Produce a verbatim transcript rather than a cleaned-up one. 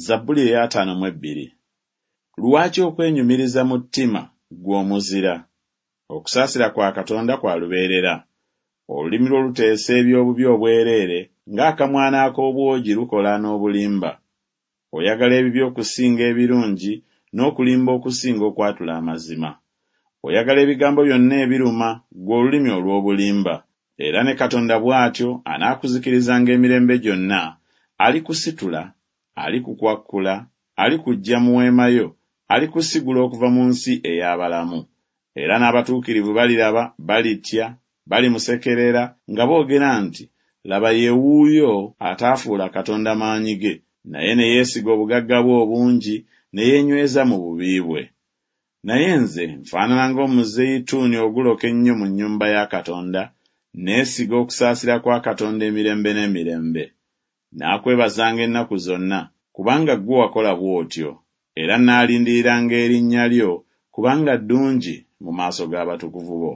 Zabbuli ey'ataano mu ebbiri. Lwaki okwenyumiriza mu ttima, ggwe omuzira? Okusaasira kwa Katonda kwa lubeerera. Olulimi lwo luteesa eby'obubi obwereere, ng'akamwana ak'obwogi lukola n'obulimba. Oyagala ebibi okusinga ebirungi, n'okulimba okusinga okwatula amazima. Oyagala ebigambo byonna ebiruma, ggwe olulimi olw'obulimba. Era ne Katonda bw'atyo anaakuzikirizanga emirembe gyonna, alikusitula, alikukwakkula, alikuggya mu weema yo, alikusigula okuva mu nsi ey'abalamu. Era n'abatuukirivu baliraba, balitya, balimusekerera nga boogera nti, Laba ye wuuyo ataafuula Katonda maanyi ge, naye ne yeesiga obugagga bwe obungi, ne yeenyweza mu bubi bwe. Naye nze nfaanana ng'omuzeyituuni oguloka ennyo mu nnyumba ya Katonda, neesiga okusaasira kwa Katonda emirembe n'emirembe. Naakwebazanga ennaku zonna, kubanga ggwe wakola bw'otyo, era naalindiriranga erinnya lyo, kubanga ddungi mu maaso g'abatukuvu bo.